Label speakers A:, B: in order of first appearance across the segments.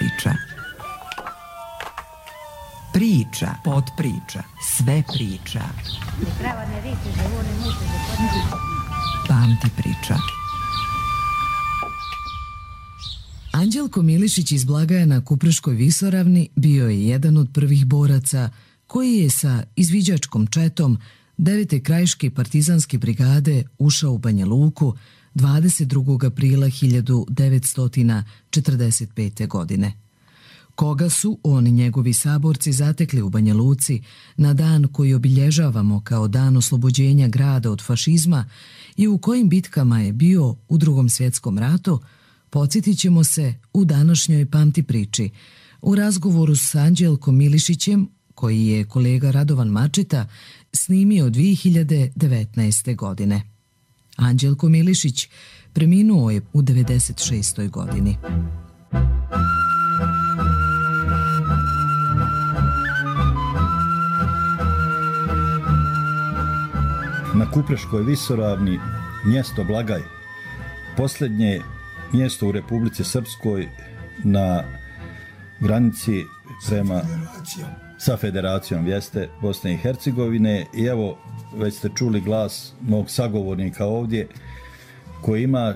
A: priča. Priča, podpriča, sve priča. Pamti priča.
B: Anđelko Milišić iz Blagaja na Kupreškoj visoravni bio je jedan od prvih boraca koji je sa izviđačkom četom 9. krajiške partizanske brigade ušao u Banja Luku 22. aprila 1945. godine. Koga su oni njegovi saborci zatekli u Banja Luci na dan koji obilježavamo kao dan oslobođenja grada od fašizma i u kojim bitkama je bio u Drugom svjetskom ratu, podsjetit ćemo se u današnjoj Pamti priči, u razgovoru s Anđelkom Milišićem, koji je kolega Radovan Mačeta snimio 2019. godine. Anđelko Milišić preminuo je u 96. godini.
C: Na Kupreškoj visoravni, mjesto Blagaj, posljednje mjesto u Republici Srpskoj na granici prema sa federacijom jeste Bosne i Hercegovine. I evo, već ste čuli glas mog sagovornika ovdje koji ima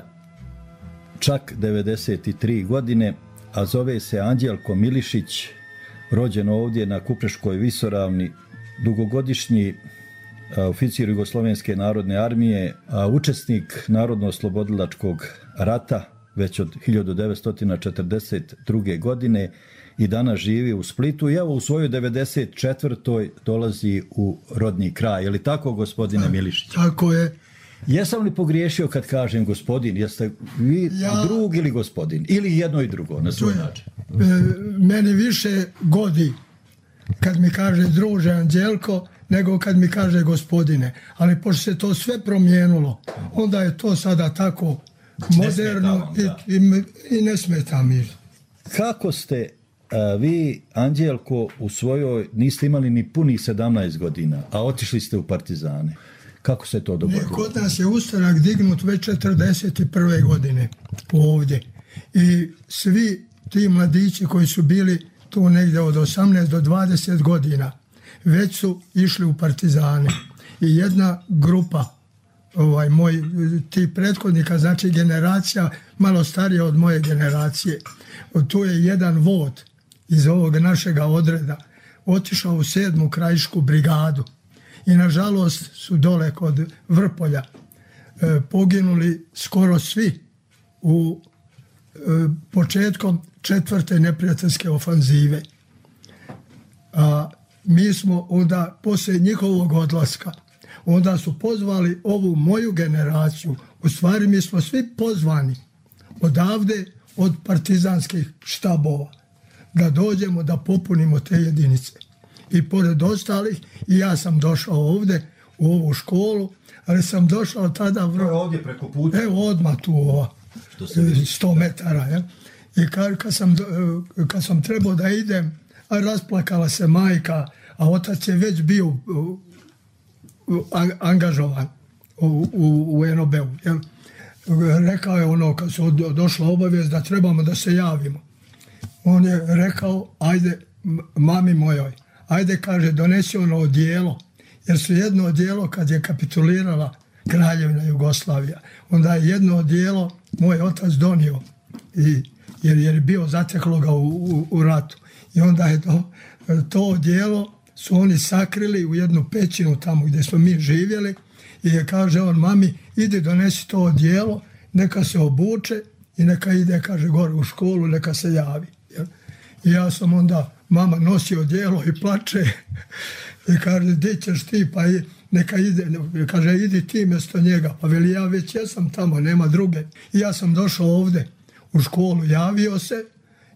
C: čak 93 godine, a zove se Anđelko Milišić, rođen ovdje na Kupreškoj visoravni, dugogodišnji oficir Jugoslovenske narodne armije, a učesnik Narodno-oslobodilačkog rata već od 1942. godine i danas živi u Splitu i evo u svojoj 94. dolazi u rodni kraj. Je li tako, gospodine Milišić?
D: Tako je.
C: Jesam li pogriješio kad kažem gospodin? Jeste vi drug ili gospodin? Ili jedno i drugo na svoj način?
D: Meni više godi kad mi kaže druže Anđelko nego kad mi kaže gospodine. Ali pošto se to sve promijenilo, onda je to sada tako moderno i ne smeta mi.
C: Kako ste vi, Anđelko, u svojoj, niste imali ni punih 17 godina, a otišli ste u partizane? Kako se to dogodilo?
D: Kod nas je ustanak dignut već 41. godine ovdje. I svi ti mladići koji su bili tu negdje od 18 do 20 godina već su išli u partizane. I jedna grupa ti prethodnika, znači generacija malo starija od moje generacije, tu je jedan vod iz ovog našega odreda otišao u 7. krajišku brigadu i nažalost su dole kod Vrpolja poginuli skoro svi u početkom 4. neprijateljske ofanzive. A mi smo onda, poslije njihovog odlaska, onda su pozvali ovu moju generaciju. U stvari mi smo svi pozvani odavde od partizanskih štabova da dođemo da popunimo te jedinice. I pored ostalih, i ja sam došao ovde u ovu školu, ali sam došao tada...
C: ovdje preko puta?
D: Evo odmah tu 100 metara. Ja? I kad sam trebao da idem, a rasplakala se majka, a otac je već bio angažovan u NOB-u. Rekao je kad su došla obavijest da trebamo da se javimo. On je rekao, ajde, mami mojoj, ajde, kaže, donesi ono odijelo, jer su jedno odijelo kad je kapitulirala Kraljevina Jugoslavija, onda je jedno odijelo moj otac donio, jer je bio zateklo ga u ratu. I onda je to odijelo su oni sakrili u jednu pećinu tamo gdje smo mi živjeli i je kaže on, mami, idi donesi to odijelo, neka se obuče i neka ide, kaže, gore u školu, neka se javi. I ja sam onda, mama nosi odijelo i plače i kaže, di ćeš ti, pa neka ide, kaže, idi ti mjesto njega, pa veli, ja već jesam tamo, nema druge. I ja sam došao ovdje u školu, javio se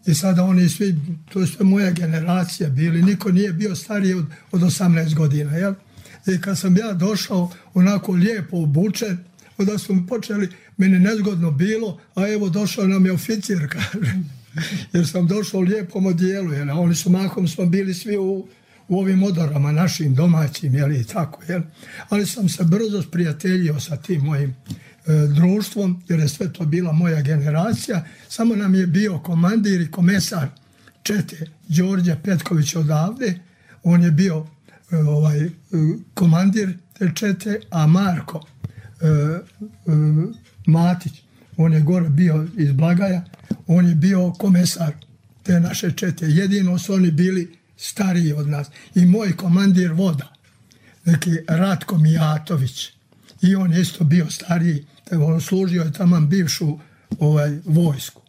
D: i sada oni svi, to je sve moja generacija bili, niko nije bio stariji od 18 godina, jel? I kad sam ja došao onako lijepo obučen, onda su mi počeli, meni nezgodno bilo, a evo došao nam je oficir, kaže, jer sam došao u lijepom odijelu, jel? A oni su mahom, smo bili svi u ovim odorama našim domaćim, jel? I tako, jel? Ali sam se brzo sprijateljio sa tim mojim društvom, jer je sve to bila moja generacija, samo nam je bio komandir i komesar čete Đorđe Petković odavde, on je bio komandir te čete, a Marko Matić, on je gore bio iz Blagaja, on je bio komesar te naše čete. Jedino su oni bili stariji od nas. I moj komandir voda, neki Ratko Mijatović, i on je isto bio stariji, on služio je taman bivšu vojsku.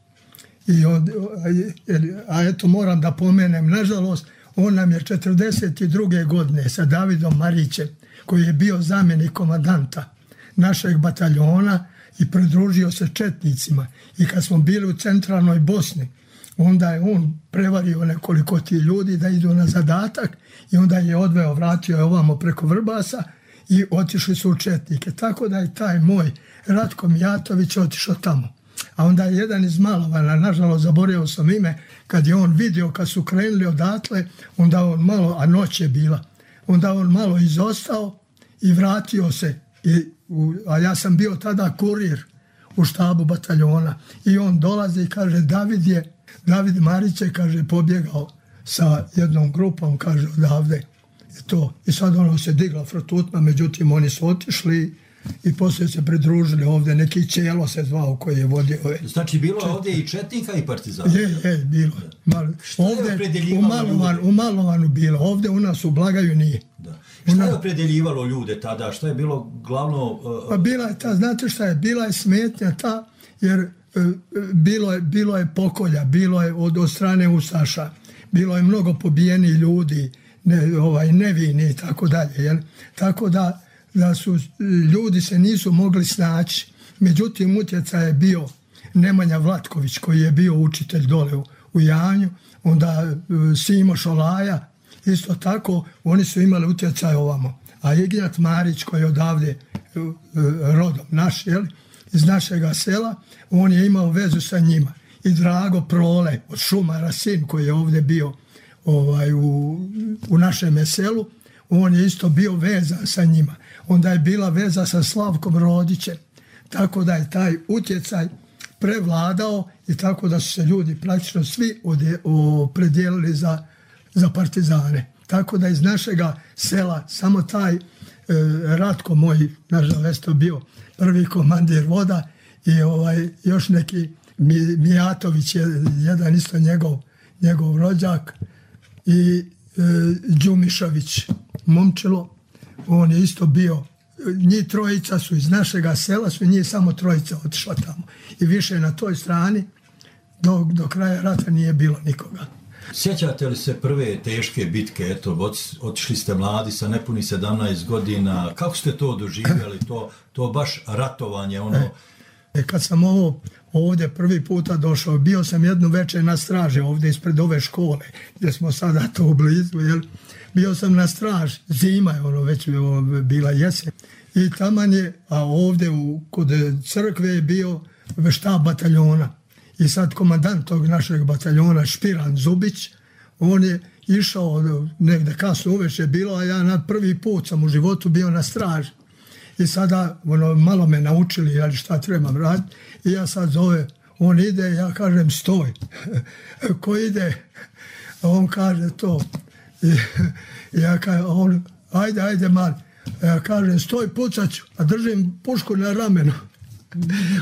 D: A eto, moram da pomenem, nažalost, on nam je 42. godine sa Davidom Marićem, koji je bio zamjenik komandanta našeg bataljona i pridružio se četnicima. I kad smo bili u centralnoj Bosni, onda je on prevario nekoliko tih ljudi da idu na zadatak i onda je odveo, vratio je ovamo preko Vrbasa i otišli su u četnike. Tako da je taj moj Ratko Mijatović otišao tamo. A onda je jedan iz Malovana, nažalost zaboravio sam ime, kad je on vidio kad su krenuli odatle, onda on malo, a noć je bila, onda on malo izostao i vratio se. A ja sam bio tada kurir u štabu bataljona i on dolazi i kaže David Marić je, kaže, pobjegao sa jednom grupom, kaže, odavde. I sad ono se digla frotutma, međutim oni su otišli i poslije se pridružili ovdje, neki Čelo se zvao koji je vodio ove.
C: Znači bilo je ovdje i četnika i partizana?
D: Je, bilo. Ovdje u Malovanu bilo, ovdje u nas u Blagaju nije.
C: Da. Šta je opredeljivalo ljude tada? Šta je bilo glavno...
D: Pa bila je ta, znate šta je, bila je smetnja ta, jer bilo je pokolja, bilo je od strane ustaša, bilo je mnogo pobijenih ljudi, nevini i tako dalje. Tako da su ljudi se nisu mogli snaći. Međutim, utjecaj je bio Nemanja Vlatković, koji je bio učitelj dole u Janju, onda Simo Šolaja, isto tako, oni su imali utjecaj ovamo. A Ignjat Marić, koji je odavde rodom naš, iz našega sela, on je imao vezu sa njima. I Drago Prole od Šumara, sin koji je ovdje bio u našem selu, on je isto bio vezan sa njima. Onda je bila veza sa Slavkom Rodićem. Tako da je taj utjecaj prevladao i tako da su se ljudi praktično svi opredijelili za partizane. Tako da iz našega sela samo taj Ratko moj, nažalost, to bio prvi komandir voda i još neki Mijatović je jedan isto njegov rođak i Đumišović Momčilo, on je isto bio, njih trojica su iz našega sela, su njih samo trojica otišla tamo. I više na toj strani do kraja rata nije bilo nikoga.
C: Sjećate li se prve teške bitke? Eto, otišli ste mladi sa nepuni 17 godina. Kako ste to doživjeli? To baš ratovanje, ono...
D: Kad sam ovdje prvi puta došao, bio sam jednu večer na straži ovdje ispred ove škole, gdje smo sada to u blizu, bio sam na straži, zima je već bila jesen. I taman je, a ovdje kod crkve je bio štab bataljona. I sad komandant tog našeg bataljona, Špiran Zubić, on je išao negdje kasno uveče bilo, a ja na prvi put sam u životu bio na straži. I sada malo me naučili šta trebam raditi i ja sad zove, on ide, ja kažem stoj. Ko ide? A on kaže to. I ja kažem, ajde man. Ja kažem stoj, pucat ću, a držim pušku na ramenu.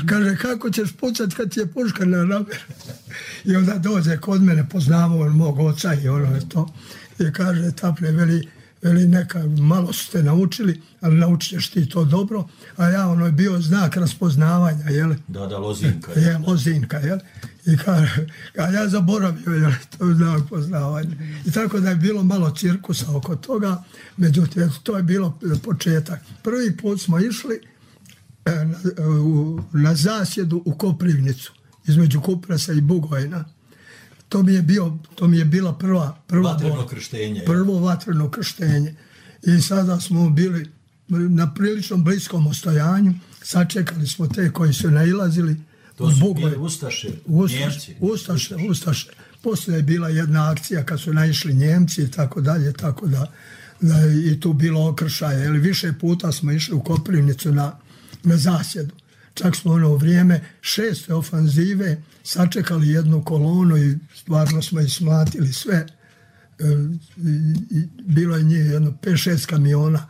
D: Kaže, kako ćeš pucat kad ti je puška na ramenu? I onda dođe kod mene, poznamo on mog oca i to. I kaže, Taple, veli neka, malo ste naučili, ali naučit ćeš ti to dobro, a ja je bio znak raspoznavanja,
C: Da, lozinka.
D: Lozinka, I kaže, a ja zaboravio, to je znak poznavanja. I tako da je bilo malo cirkusa oko toga, međutim, to je bilo početak. Prvi put smo išli na zasjedu u Koprivnicu, između Kupresa i Bugojna. To mi je bila prva
C: vatreno krštenje.
D: Prvo vatreno krštenje. I sada smo bili na prilično bliskom ostojanju, sačekali smo te koji su nailazili.
C: To su bili Ustaše, Njemci.
D: Ustaše. Poslije je bila jedna akcija kad su naišli Njemci i tako dalje, tako da je i tu bilo okršaje. Više puta smo išli u Koprivnicu na zasjedu. Čak smo ono vrijeme 6. ofanzive sačekali jednu kolonu i stvarno smo ismlatili sve. Bilo je njih jedno 5-6 kamiona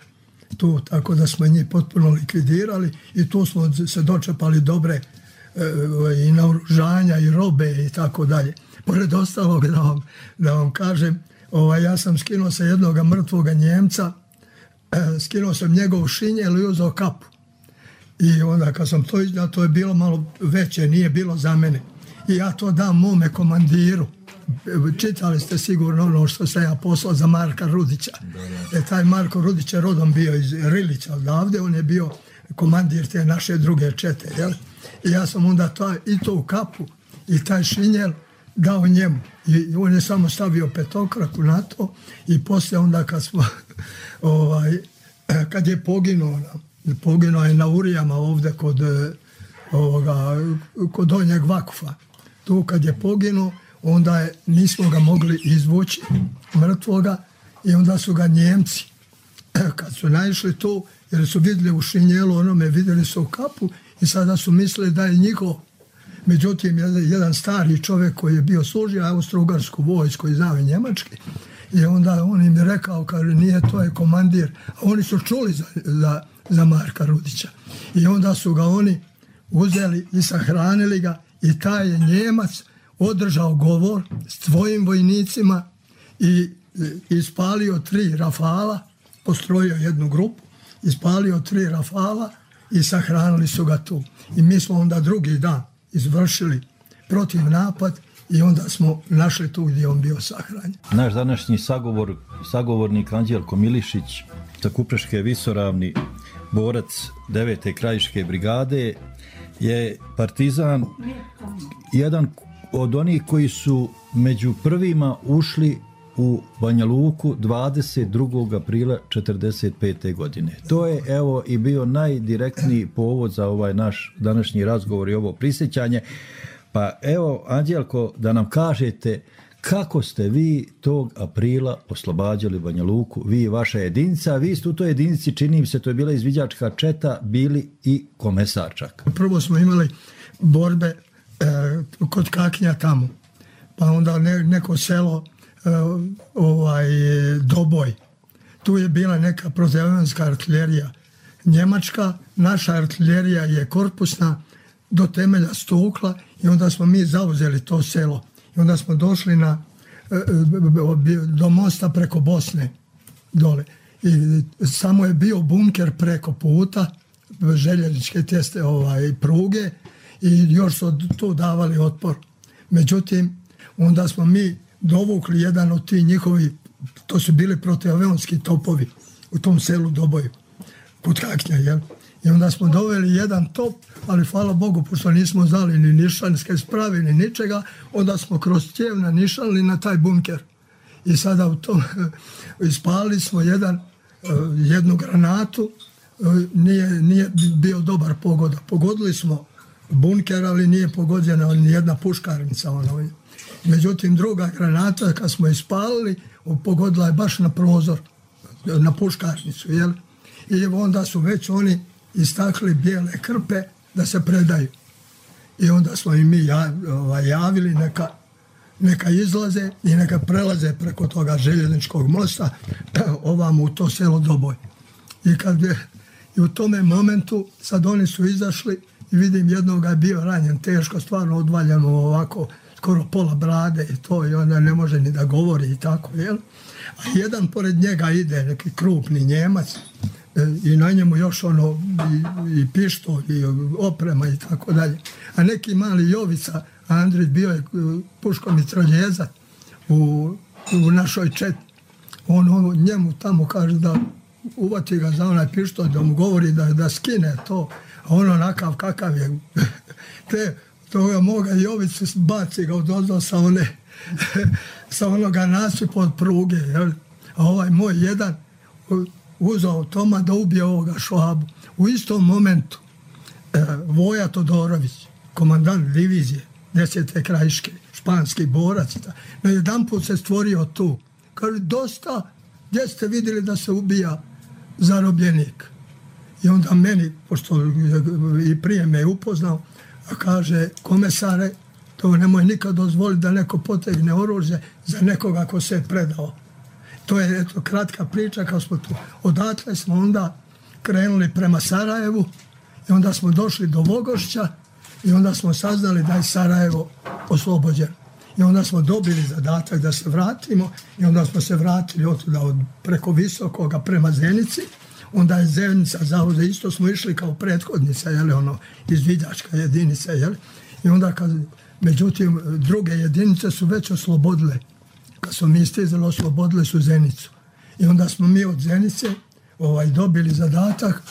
D: tu, tako da smo njih potpuno likvidirali i tu smo se dočepali dobre i naoružanja i robe i tako dalje. Pored ostalog da vam kažem, ja sam skinuo sa jednoga mrtvoga Njemca, skinuo sam njegov šinjel i uzeo kapu. I onda kad sam to izdao, to je bilo malo veće, nije bilo za mene. I ja to dam mome komandiru. Čitali ste sigurno ono što sam ja poslao za Marka Rudića. Taj Marko Rudić je rodom bio iz Rilića odavde, on je bio komandir te naše druge čete. Jel? I ja sam onda i to u kapu i taj šinjel dao njemu. I on je samo stavio petokraku na to i poslije onda kad smo kad je poginuo je na Urijama ovdje kod Donjeg Vakufa. Tu kad je poginuo, onda nismo ga mogli izvući mrtvoga i onda su ga Njemci, kad su naišli tu, jer su vidjeli u šinjelu, onome vidjeli su u kapu i sada su mislili da je njihov. Međutim, jedan stari čovjek koji je bio služio austro-ugarsku vojsku i znao njemački, i onda on im je rekao, kaže, nije, to je komandir, a oni su čuli za Marka Rudića. I onda su ga oni uzeli i sahranili ga i taj je Njemac održao govor s svojim vojnicima i ispalio 3 rafala, postrojio jednu grupu, ispalio 3 rafala i sahranili su ga tu. I mi smo onda drugi dan izvršili protiv napad i onda smo našli tu gdje on bio sahranjen.
C: Naš današnji sagovornik Anđelko Milišić sa Kupreške visoravni, borac 9. krajiške brigade, je partizan, jedan od onih koji su među prvima ušli u Banja Luku 22. aprila 1945. godine. To je evo i bio najdirektniji povod za ovaj naš današnji razgovor i ovo prisjećanje. Pa evo, Anđelko, da nam kažete kako ste vi tog aprila oslobađali Banja Luku, vi i vaša jedinica, vi ste u toj jedinici, čini mi se, to je bila izviđačka četa, bili i komesar čak.
D: Prvo smo imali borbe kod Kaknja tamo, pa onda neko selo Doboj. Tu je bila neka protivnjačka artiljerija njemačka, naša artiljerija je korpusna do temelja stukla i onda smo mi zauzeli to selo. I onda smo došli do mosta preko Bosne dole. I samo je bio bunker preko puta, željezničke teste pruge i još su tu davali otpor. Međutim, onda smo mi dovukli jedan od tih njihovi, to su bili protiavionski topovi u tom selu Doboju, kod Kaknja, jel? I onda smo doveli jedan top, ali hvala Bogu, pošto nismo znali ni nišanske sprave, ni ničega, onda smo kroz cijev nanišali na taj bunker. I sada u tom ispalili smo jednu granatu, nije bio dobar pogoda. Pogodili smo bunker, ali nije pogođena ni jedna puškarnica. Međutim, druga granata, kad smo ispalili, pogodila je baš na prozor, na puškarnicu, jel? I onda su već oni istakli bijele krpe da se predaju. I onda smo i mi javili neka izlaze i neka prelaze preko toga željezničkog mosta ovamo u to selo Doboj. I u tome momentu sad oni su izašli i vidim jednoga je bio ranjen teško, stvarno odvaljeno ovako, skoro pola brade i to, i onda ne može ni da govori i tako, jel? A jedan pored njega ide neki krupni Njemac i na njemu još i pištolj i oprema i tako dalje. A neki mali Jovica, Andrić, bio je puškomitraljezat u našoj četi. On njemu tamo kaže da uvati ga za onaj pištolj, da mu govori da skine to, a on onakav kakav je. Toga moga Jovicu baci ga odozdo sa onoga nasipa od pruge. Jel? A ovaj moj jedan uzao Toma da ubije ovoga Švabu. U istom momentu Voja Todorović, komandant divizije 10. krajiške, španski borac, na jedan put se stvorio tu. Kaže, dosta, gdje ste vidjeli da se ubija zarobljenik? I onda meni, pošto i prije me je upoznao, a kaže, komesare, to nemoj nikad dozvoliti da neko potegne oružje za nekoga ko se je predao. To je eto, kratka priča kao smo tu. Odatle smo onda krenuli prema Sarajevu i onda smo došli do Vogošća i onda smo saznali da je Sarajevo oslobođeno. I onda smo dobili zadatak da se vratimo i onda smo se vratili preko Visokoga prema Zenici. Onda je Zenica zauzela, isto smo išli kao prethodnica, izviđačka jedinica. I onda međutim, druge jedinice su već oslobodile. Kad smo mi stizali, oslobodile su Zenicu. I onda smo mi od Zenice dobili zadatak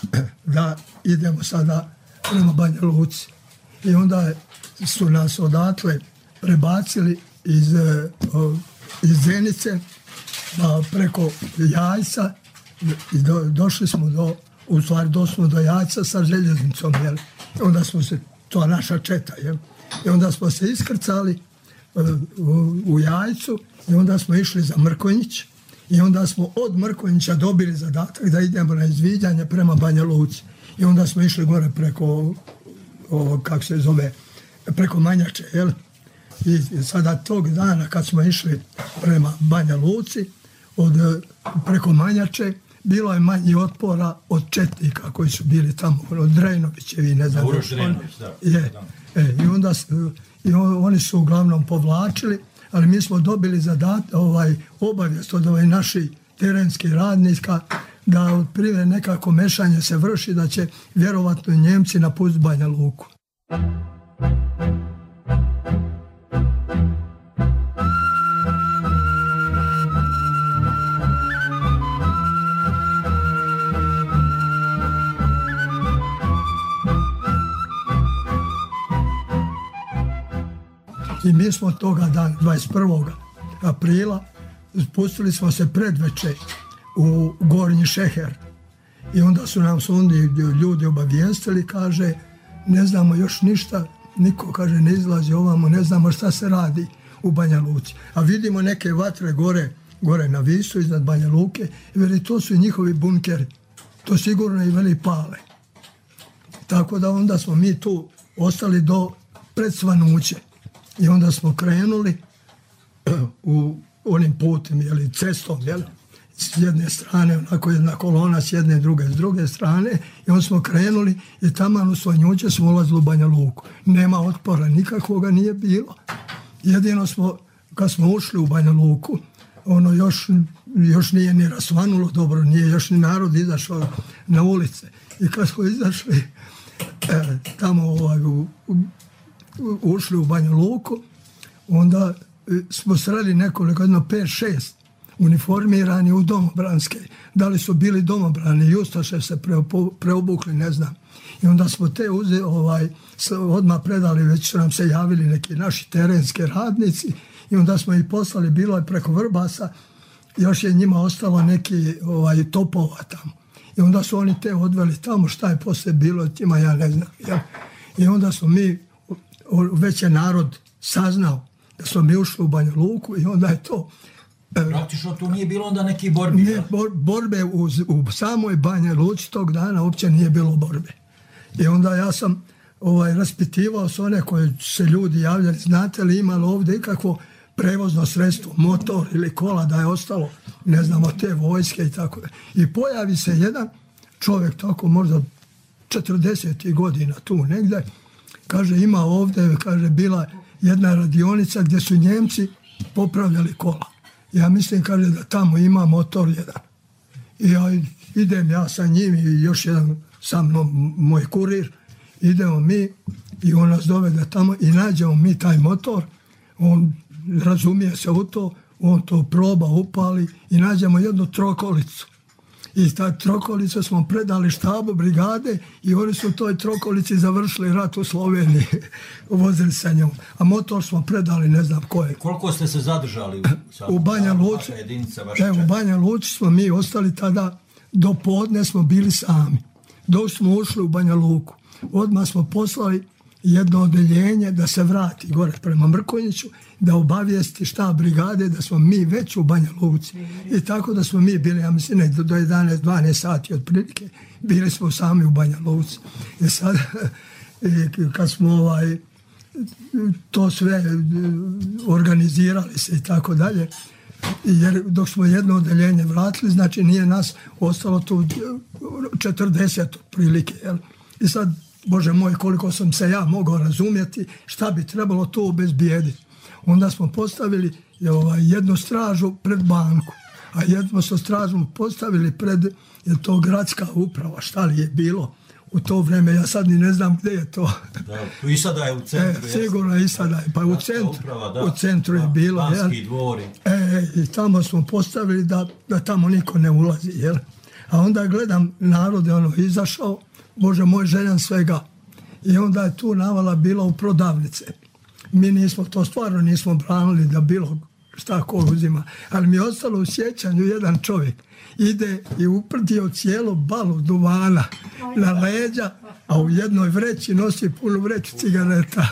D: da idemo sada prema Banja Luci. I onda su nas odatle prebacili iz Zenice preko Jajca i došli smo do Jajca sa željeznicom. I onda smo se, to je naša četa, i onda smo se iskrcali u Jajcu i onda smo išli za Mrkonjić i onda smo od Mrkonjića dobili zadatak da idemo na izviđanje prema Banja Luci. I onda smo išli gore preko, kako se zove, preko Manjače, I sada tog dana kad smo išli prema Banja Luci, preko Manjače, bilo je manji otpora od četnika koji su bili tamo, od Drejnovićevi, ne znam.
C: Uroš Drejnović, da.
D: I onda oni su uglavnom povlačili, ali mi smo dobili obavijest od naših terenskih radnika da otprilike nekako mešanje se vrši, da će vjerovatno Njemci napustiti Banja Luku. I mi smo toga dana, 21. aprila, spustili smo se predveče u Gornji Šeher. I onda su nam ljudi obavijestili, kaže, ne znamo još ništa, niko, kaže, ne izlazi ovamo, ne znamo šta se radi u Banja Luci. A vidimo neke vatre gore na Visu, iznad Banja Luke, i veli, to su njihovi bunkeri. To sigurno i veli pale. Tako da onda smo mi tu ostali do pred Svanuće. I onda smo krenuli u onim putem, cestom, s jedne strane, onako jedna kolona, s jedne, s druge strane, i onda smo krenuli i tamo u Svanjuće smo ulazili u Banja Luku. Nema otpora, nikakvoga nije bilo. Jedino smo, kad smo ušli u Banja Luku, ono još nije ni rasvanulo dobro, nije još ni narod izašao na ulice. I kad smo izašli tamo ušli u Banja Luku, onda smo sreli nekoliko, 5-6 uniformirani u domobranske. Da li su bili domobrani i ustaše se preobukli, ne znam. I onda smo te odmah predali, već su nam se javili neki naši terenski radnici i onda smo ih poslali, bilo je preko Vrbasa, još je njima ostalo neki topova tamo. I onda su oni te odveli tamo, šta je poslije bilo, tima ja ne znam. I onda smo mi, već je narod saznao da smo mi ušli u Banja Luku i onda je to...
C: Praktično tu nije bilo onda neki borbi?
D: Ne, borbe u samoj Banja Luci tog dana uopće nije bilo borbe. I onda ja sam raspitivao s one koje se ljudi javljali, znate li imali ovdje ikakvo prevozno sredstvo, motor ili kola da je ostalo, ne znamo, te vojske i tako. I pojavi se jedan čovjek tako možda 40 godina tu negdje, kaže ima ovdje, kaže bila jedna radionica gdje su Njemci popravljali kola. Ja mislim, kaže, da tamo ima motor jedan. I ja idem ja sa njim i još jedan sa mnom, moj kurir, idemo mi i on nas dovede tamo i nađemo mi taj motor, on razumije se u to, on to proba, upali i nađemo jednu trokolicu. I ta trokolica smo predali štabu brigade i oni su u toj trokolici završili rat u Sloveniji. Vozili sa njom. A motor smo predali ne znam koje.
C: Koliko ste se zadržali
D: u Banja Luci? U Banja Luci smo mi ostali tada, do podne smo bili sami. Dok smo ušli u Banja Luku, odmah smo poslali jedno odeljenje da se vrati gore prema Mrkonjiću, da obavijesti štab brigade da smo mi već u Banja Luci. I tako da smo mi bili, ja mislim, do 11-12 sati otprilike, bili smo sami u Banja Luci. I sad, kad smo to sve organizirali se i tako dalje, jer dok smo jedno odeljenje vratili, znači nije nas ostalo tu 40 otprilike. Jel? I sad, Bože moj, koliko sam se ja mogao razumjeti, šta bi trebalo to obezbijediti. Onda smo postavili jednu stražu pred banku, a jednu smo stražu postavili pred to gradska uprava, šta li je bilo u to vrijeme, ja sad ni ne znam gdje je to.
C: Da, i sada je u centru.
D: Sigurno i sada je, pa u centru je bilo.
C: Banski dvori.
D: I tamo smo postavili da tamo niko ne ulazi. Jel? A onda gledam, narod je izašao, Bože moj, željan svega. I onda je tu navala bila u prodavnice. Mi nismo, to stvarno nismo branili da bilo šta ko uzima. Ali mi je ostalo u sjećanju jedan čovjek. Ide i uprdio cijelu balu duvana na leđa, a u jednoj vreći nosi punu vreću cigareta.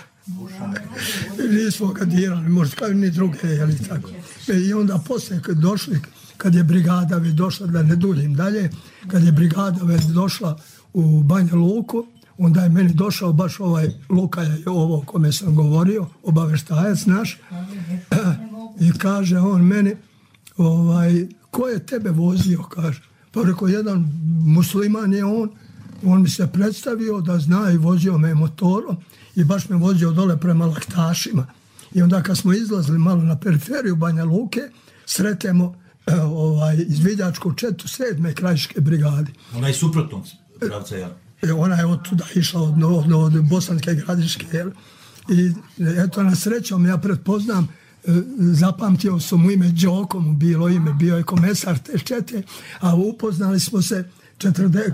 D: Nismo ga dirali, možda kao ni druge, jeli tako. I onda poslije kad došli, kad je brigada već došla, da ne duljim dalje, kad je brigada već došla u Banja Luku, onda je meni došao baš Luka je ovo o kome sam govorio, obaveštajac naš, i kaže on meni, ko je tebe vozio, kaže. Pa rekao, jedan musliman je on mi se predstavio da zna i vozio me motorom i baš me vozio dole prema Laktašima. I onda kad smo izlazili malo na periferiju Banja Luke, sretemo izviđačku četu 7. krajiške brigade.
C: Ona je suprotnog pravca, ja.
D: Ona je od tuda išla od Bosanske Gradiške. I eto, na srećom ja pretpoznam, zapamtio sam mu ime Đoko, mu bilo ime, bio je komesar te čete, a upoznali smo se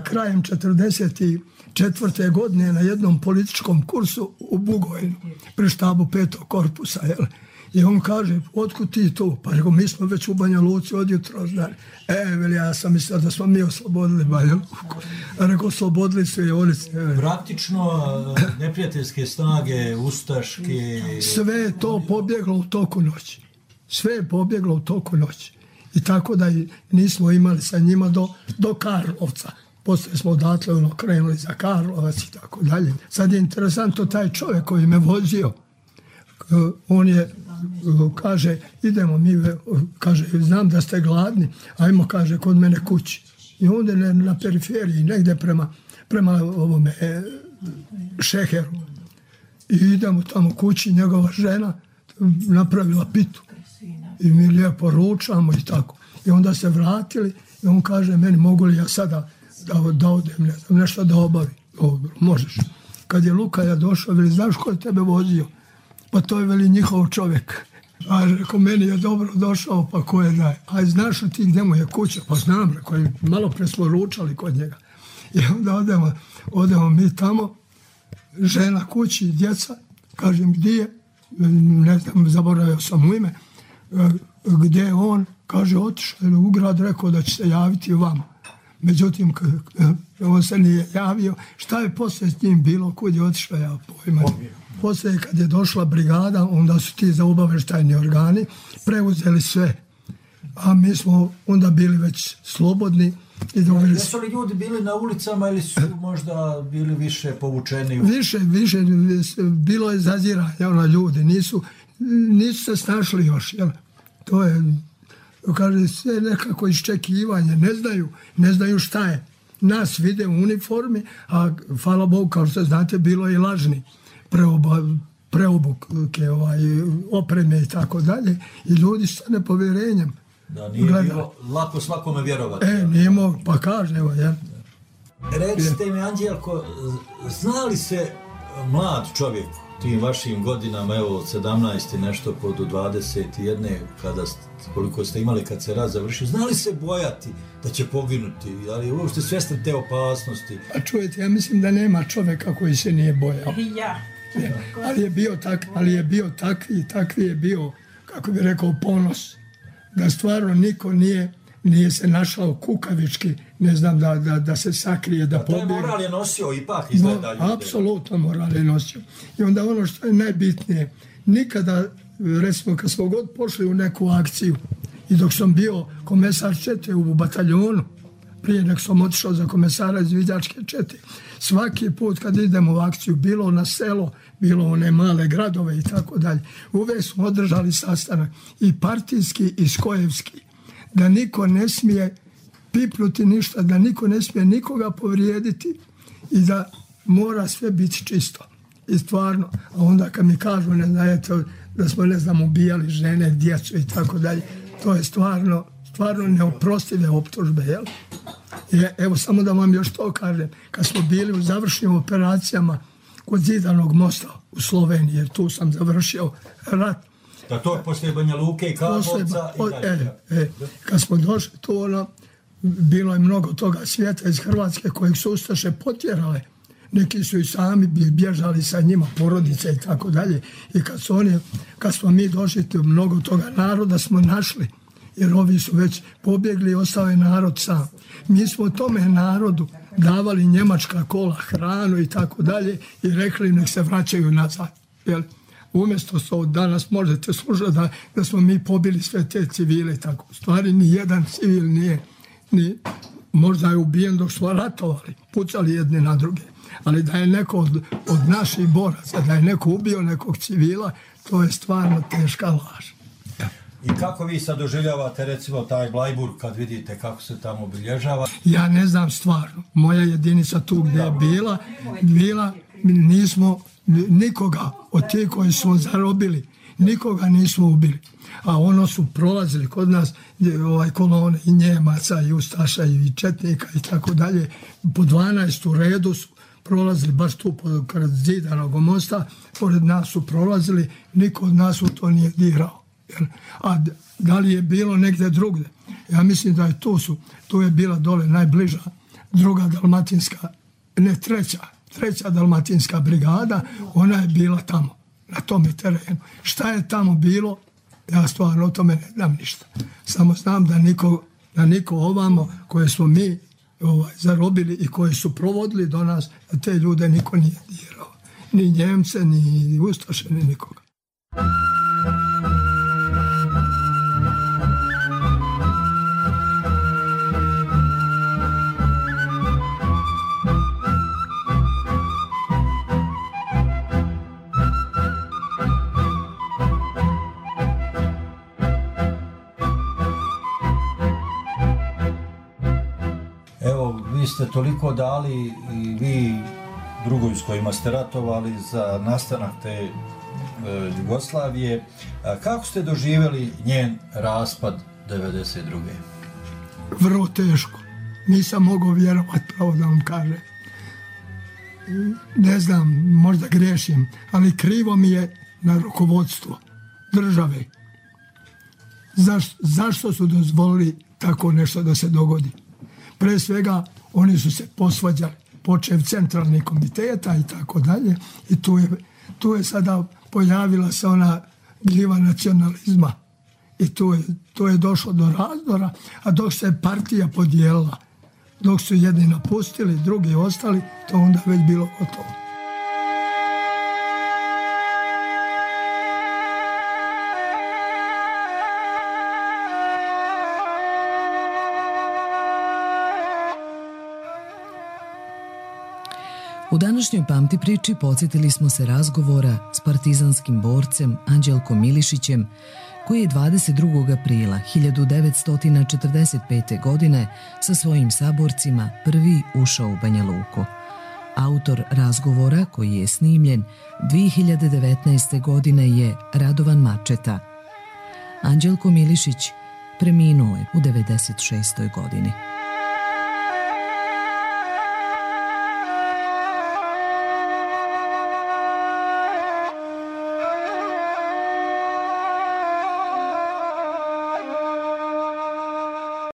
D: krajem 1944. godine na jednom političkom kursu u Bugojnu, pri štabu 5. korpusa. Jel? I on kaže, otkud ti tu? Pa rekao, mi smo već u Banja Luci od jutro znali. Veli, ja sam mislio da smo mi oslobodili Banja Luku. A rekao, oslobodili su i oni.
C: Praktično, neprijateljske snage, ustaške...
D: Sve je to pobjeglo u toku noći. Sve je pobjeglo u toku noći. I tako da nismo imali sa njima do Karlovca. Poslije smo odatle krenuli za Karlovac i tako dalje. Sad je interesantno taj čovjek koji me vozio. On je, kaže, idemo mi, kaže, znam da ste gladni, ajmo, kaže, kod mene kući. I onda na periferiji, negdje prema ovome Šeheru. I idemo tamo kući, njegova žena napravila pitu. I mi lijepo ručamo i tako. I onda se vratili i on kaže meni, mogu li ja sada da odem, ne znam, nešto da obavim. Dobro, možeš. Kad je Lukaja došao, veli, znaš ko je tebe vozio? Pa to je, veli, njihov čovjek. A rekao, meni je dobro došao, pa ko je daj? A znaš li ti gdje mu je kuća? Pa znam, rekao, malo pre smo ručali kod njega. I onda odemo mi tamo, žena kući, djeca, kažem, gdje je? Ne znam, zaboravio sam u ime. Gdje je on? Kaže, otišao je u grad, rekao da će se javiti vama. Međutim, on se nije javio. Šta je poslije s njim bilo? Kud je otišao, ja pojma. Poslije, kad je došla brigada, onda su ti za obavještajni organi preuzeli sve. A mi smo onda bili već slobodni.
C: Jesu li ljudi bili na ulicama ili su možda bili više povučeni?
D: Više, bilo je zaziranja, ljudi nisu se snašli još. Jel? To je, kaže, sve nekako iščekivanje, ne znaju šta je. Nas vide u uniformi, a hvala Bogu, kao što znate, bilo je i lažni preobuke, opreme i tako dalje. I ljudi sa nepovjerenjem.
C: Da, nije bilo lako svakome vjerovati.
D: Nije mogu, pa kaže, evo, jel?
C: Recite mi, Anđelko, zna li se mlad čovjek tim vašim godinama, evo, 17 nešto pod 21, koliko ste imali kad se rat završio, zna li se bojati da će poginuti? Ali je uopšte svjestan te opasnosti?
D: A čujete, ja mislim da nema čovjeka koji se nije bojao.
E: Ja.
D: Ali je bio takvi je bio, kako bi rekao, ponos. Da stvarno niko nije se našao kukavički, ne znam, da se sakrije, da pobjegne.
C: Taj moral je nosio ipak izgleda ljude.
D: Apsolutno moral je nosio. I onda ono što je najbitnije, nikada, recimo, kad smo god pošli u neku akciju i dok sam bio komesar čete u bataljonu, prije nek sam otišao za komesara izviđačke čete. Svaki put kad idemo u akciju, bilo na selo, bilo one male gradove i tako dalje, uvijek smo održali sastanak i partijski i skojevski, da niko ne smije pipnuti ništa, da niko ne smije nikoga povrijediti i da mora sve biti čisto. I stvarno, a onda kad mi kažu, ne znajete, da smo, ne znam, ubijali žene, djecu i tako dalje, to je stvarno neoprostive optužbe, jel? I evo, samo da vam još to kažem, kad smo bili u završnim operacijama kod Zidanog mosta u Sloveniji, jer tu sam završio rat.
C: Da to je poslije Banja Luke i Karlovca i dalje.
D: Kad smo došli tu, bilo je mnogo toga svijeta iz Hrvatske kojeg su ustaše potjerale. Neki su i sami bježali sa njima, porodice i tako dalje. I kad smo mi došli, mnogo toga naroda smo našli. Jer ovi su već pobjegli i ostao je narod sam. Mi smo tome narodu davali njemačka kola, hranu i tako dalje i rekli nek se vraćaju nazad. Jel? Umjesto što danas možete slušati da smo mi pobili sve te civile. Tako. U stvari ni jedan civil nije, možda je ubijen dok smo ratovali, pucali jedni na druge. Ali da je neko od naših boraca, da je neko ubio nekog civila, to je stvarno teška laž.
C: I kako vi sad doživljavate recimo taj Blajburg kad vidite kako se tamo obilježava?
D: Ja ne znam stvarno. Moja jedinica tu gdje je bila, nismo nikoga od tih koji smo zarobili, nikoga nismo ubili. A ono su prolazili kod nas kolone i Njemaca i Ustaša i Četnika i tako dalje. Po 12 u redu su prolazili baš tu pored Zidanog mosta, pored nas su prolazili, niko od nas u to nije dirao. A da li je bilo negdje drugdje? Ja mislim da je tu je bila dole najbliža druga dalmatinska, ne treća dalmatinska brigada, ona je bila tamo, na tome terenu. Šta je tamo bilo, ja stvarno o tome ne znam ništa. Samo znam da niko ovamo koje smo mi zarobili i koji su provodili do nas, da te ljude niko nije dirao. Ni Njemce, ni Ustaše, ni nikoga.
C: Vi ste toliko dali i vi drugoj s kojima ste ratovali za nastanak te Jugoslavije. Kako ste doživjeli njen raspad 1992.
D: Vrlo teško. Nisam mogao vjerovati, pravo da vam kažem. Ne znam, možda griješim, ali krivo mi je na rukovodstvo države. Zašto su dozvolili tako nešto da se dogodi? Pre svega, oni su se posvađali, počev centralnih komiteta i tako dalje. I tu je sada pojavila se ona gljiva nacionalizma. I tu je došlo do razdora, a dok se partija podijelila, dok su jedni napustili, drugi ostali, to onda već bilo gotovo.
B: U današnjoj Pamti priči podsjetili smo se razgovora s partizanskim borcem Anđelkom Milišićem, koji je 22. aprila 1945. godine sa svojim saborcima prvi ušao u Banja Luku. Autor razgovora, koji je snimljen 2019. godine, je Radovan Mačeta. Anđelko Milišić preminuo je u 96. godini.